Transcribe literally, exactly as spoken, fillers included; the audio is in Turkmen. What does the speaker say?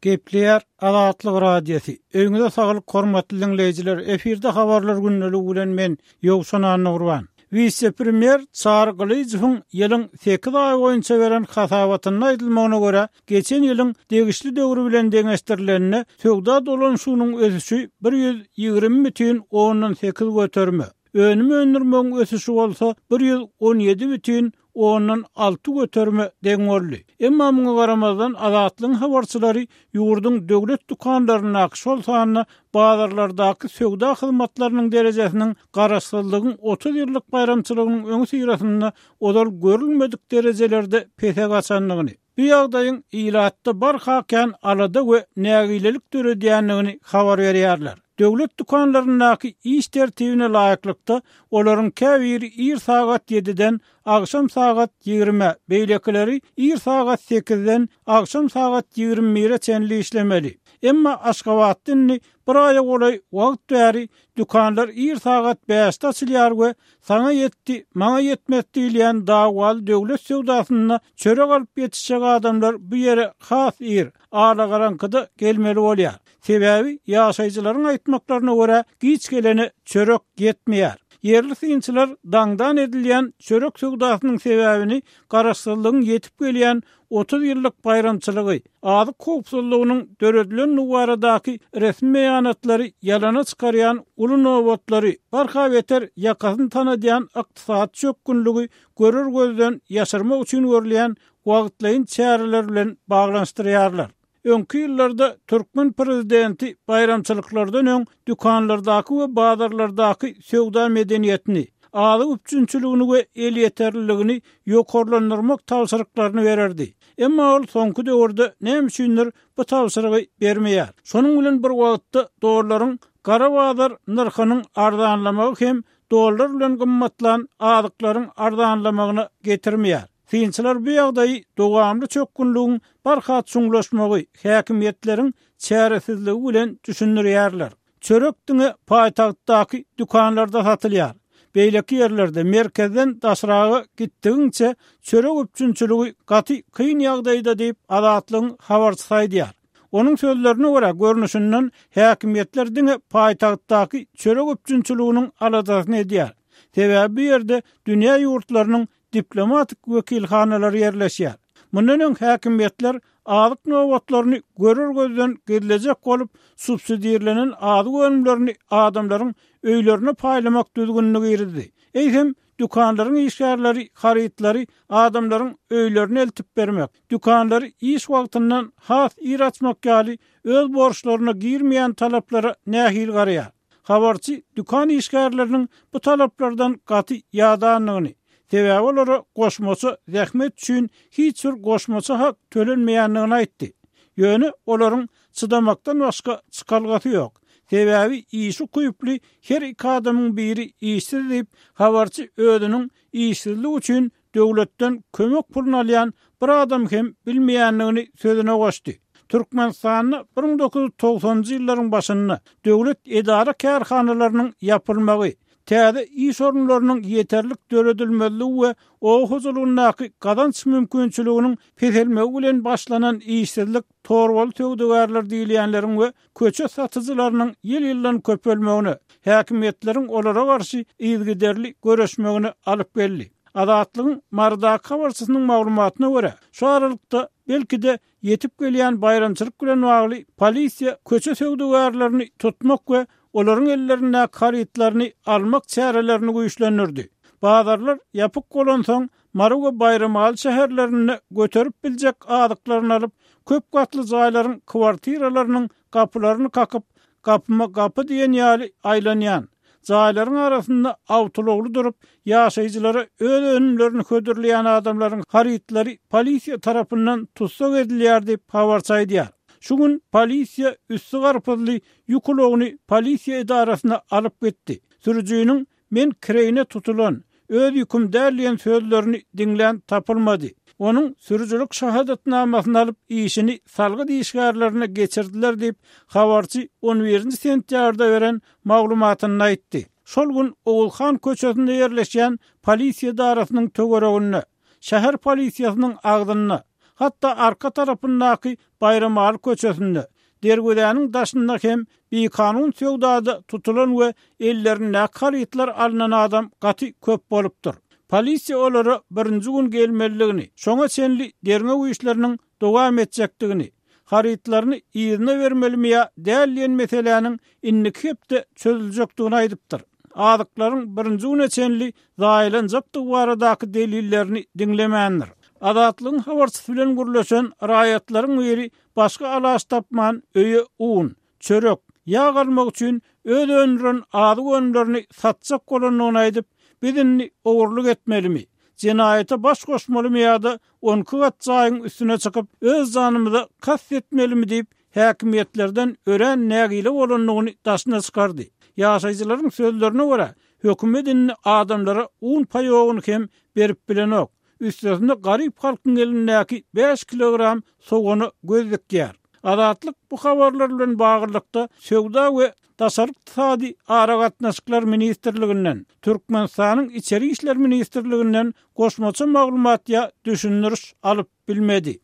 Gepleýär Azatlyk Radiosy. Öýüňize saglyk hormatly diňleýjiler. Efirde habarlar gündeligi bilen men Ýowşan Annagurban. Wise-premýer Çary Gylyjowyň ýylyň sekiz aýy boýunça beren hasabatynda aýdylmagyna görä, geçen ýylyň degişli döwri bilen deňeşdirilende söwda dolanyşygynyň ösüşi bir ýüz ýigrimi bütin ondan sekiz göterime, önüm öndürmegiň ösüşi bolsa bir ýüz on ýedi bütin ondan alty göterime deň boldy. Emma muňa garamazdan Azatlygyň habarçylary ýurduň döwlet dükanlaryndaky, şol sanda bazarlardaky söwda hyzmatlarynyň derejesiniň garaşsyzlygyň otuz ýyllyk baýramçylygynyň öňi syrasynda ozal görülmedik derejelerde pese gaçandygyny, bu ýagdaýyň ilatda barha kän alada we nägilelik döredýändigini habar berýärler. Döwlet dükanlaryndaky iş tertibine laýyklykda olaryň käbiri ir sagat ýediden agşam sagat ýigrime, beýlekileri ir sagat sekizden agşam sagat ýigrimi bire çenli işlemeli. Emma Aşgabatda indi bir aýa golaý wagt bäri dükanlar ir sagat bäşde açylýar we saňa ýetdi, maňa ýetmez diýilýän dawwaly döwlet söwdasynda çörek alyp ýetişjek adamlar bu ýere has ir, alagaraňkyda gelmeli bolýar. Sebäbi ýaşaýjylaryň aýtmaklaryna görä giç gelene çörek ýetmeýär. Ýerli synçylar daňdan edilýän çörek söwdasynyň sebäbini garaşsyzlygyň ýetip gelýän otuz ýyllyk baýramçylygy, azyk howpsuzlygynyň döredilen baradaky resmi beýanatlary ýalana çykarýan uly nobatlary, barha beter ýakasyny tanadýan ykdysady çökgünligi görür gözden ýaşyrmak üçin görülýän wagtlaýyn çäreler bilen baglanyşdyrýarlar. Öňki ýyllarda türkmen prezidenti baýramçylyklardan öň dükanlardaky we bazarlardaky söwda medeniýetini, azyk üpjünçiligini we elýeterliligini ýokarlandyrmak tabşyryklaryny bererdi. Emma ol soňky döwürde näme üçindir bu tabşyrygy bermeýär. Şonuň bilen bir wagtda dollaryň gara bazar nyrhynyň arzanlamagy hem dollar bilen gymmatlan azyklaryň arzanlamagyna getirmeýär. Synçylar bu ýagdaýy dowamly çökgünligiň barha çuňlaşmagy, häkimiýetleriň çäresizligi bilen düşündirýärler. Çörek diňe paýtagtdaky dükanlarda satylýar. Beýleki ýerlerde merkezden daşraga gitdigiňçe çörek üpjünçiligi gaty kyn ýagdaýda diýip Azatlygyň habarçysy aýdýar. Onuň sözlerine görä görnüşinden häkimiýetler diňe paýtagtdaky çörek üpjünçiliginiň aladasyny edýär. Sebäbi bu ýerde dünýä ýurtlarynyň diplomatik wekilhanalary ýerleşýär. Mundan öň häkimiýetler azyk nobatlaryny görür gözden gizlejek bolup subsidirlenen azyk önümlerini adamlaryň öýlerine paýlamak düzgünini girizdi. Eýsem dükanlaryň işgärleri harytlary adamlaryň öýlerine eltip bermek, dükanlary iş wagtyndan has ir açmak ýaly öz borçlaryna girmeýän talaplara nähili garaýar? Habarçy dükan işgärleriniň bu talaplardan gaty ýadandygyny, sebäbi olara goşmaça zähmet üçin hiç bir goşmaça hak tölenmeýändigini aýtdy. Ýöne olaryň çydamakdan başga çykalgasy ýok. Sebäbi işi ukyply her iki adamyň biri işsiz diýip, habarçy özüniň işsizlik üçin döwletden kömek puluny alýan bir adam hem bilmeýändigini sözüne goşdy. Türkmenistanda bir müň dokuz ýüz togsanjy ýyllaryň başynda döwlet edara kärhanalarynyň ýapylmagy, täze iş orunlarynyň ýeterlik döredilmezligi we oba hojalygyndaky gazanç mümkinçiliginiň peselmegi bilen başlanan işsizlik torbaly söwdagärler diýilýänleriň we köçe satyjylarynyň ýyl-ýyldan köpelmegine, häkimiýetleriň olara garşy yzygiderli göreşmegine alyp geldi. Azatlygyň Marydaky habarçysynyň maglumatyna görä, şu aralykda belki-de ýetip gelýän baýramçylyk bilen bagly polisiýa köçe söwdagärlerini tutmak we olaryň ellerindäki harytlaryny almak çärelerini güýçlendirdi. Bazarlar ýapyk bolansoň Mary we Baýramaly şäherlerinde göterip biljek azyklaryny alyp, köp gatly jaýlaryň kwartiralarynyň gapylaryny kakyp, gapyma gapy diýen ýaly aýlanýan, jaýlaryň arasynda awtoulagly durup, ýaşaýjylara öz önümlerini hödürleýän adamlaryň harytlary polisiýa tarapyndan tussag edilýär diýip habarçy aýdýar. Şu gün polisiýa üsti garpyzly ýük ulagyny polisiýa edarasyna alyp gitdi. Sürüjiniň men kireýine tutulan, öz ýüküm däl diýen sözlerini diňlän tapylmady. Onuň sürüjilik şahadatnamasyny alyp işini salgyt işgärlerine geçirdiler diýip habarçy on birinji sentýabrda beren maglumatynda aýtdy. Şol gün Ogulhan köçesinde ýerleşýän polisiýa edarasynyň töwereginde, şäher polisiýasynyň agzynda, Hatda arka tarapyndaky Baýramaly köçesinde, Derwezäniň daşynda hem bikanun söwdada tutulan we ellerindäki harytlar alnan adam gaty köp bolupdyr. Polisiýa olara birinji gün gelmelidigini, şoňa çenli derňew işleriniň dowam etjekdigini, harytlaryny yzyna bermelimi ýa däl diýen meseläniň indiki hepde çözüljekdigini aýdypdyr. Azyklaryň birinji güne çenli zaýalanjakdygy baradaky delillerini diňlemändir. Azatlygyň habarçysy bilen gürleşen raýatlaryň biri başga alaç tapman öýe un, çörek, ýag almak üçin öz öndüren azyk önümlerini satjak bolandygyny aýdyp, Biz indi ogurlyk etmelimi, jenaýata baş goşmalymy ýa-da on iki gat jaýyň üstüne çykyp, öz janymyza kast etmelimi diýip, häkimiýetlerden örän nägile bolandygyny daşyna çykardy. Ýaşaýjylaryň sözlerine görä, hökümet indi adamlara un paýogyny hem berip bilenok. Üstesine garyp halkyň elindäki bäş kilogram sogana göz dikýär. Azatlyk bu habarlar bilen baglylykda Söwda we daşary ykdysady aragatnaşyklar ministrliginden, Türkmenistanyň Içeri işler ministrliginden goşmaça maglumat ýa düşündiriş alyp bilmedi.